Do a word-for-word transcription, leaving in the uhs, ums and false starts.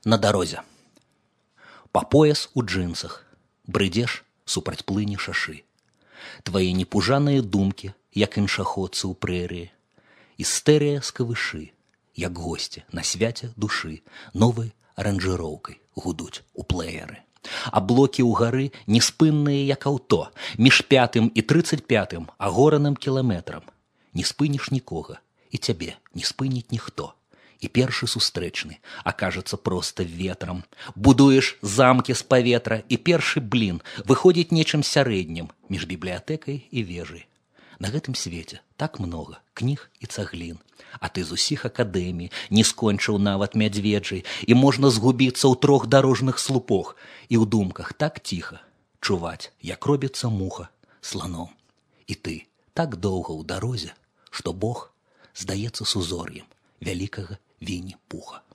на дарозе. Па пояс у джинсах, брыдзеш супраць плыні шашы. Твае непужаныя думкі, як іншаходцы ў прэрыі. Істэрыя з кавышы, як госці на свяце душы, новай аранжыроўкай гудуць у плееры. А блокі ўгары неспынныя, як аўто, між пятым і трыццаць пятым агораным кіламетрам. Не спыніш нікога, і цябе не спыніць ніхто. І першы сустрэчны акажацца проста ветрам. Будуеш замкі з паветра, і першы блін выходзіць нечым сярэднім між бібліятэкай і вежай. На гэтым свеце так многа кніг і цаглін, а ты з усіх акадэмій не скончыў нават мядзведжай, і можна згубіцца ў трох дарожных слупах, і ў думках так ціха чуваць, як робіцца муха сланом. І ты так доўга ў дарозе, што Бог здаецца сузор'ем вялікага Вінні-Пуха.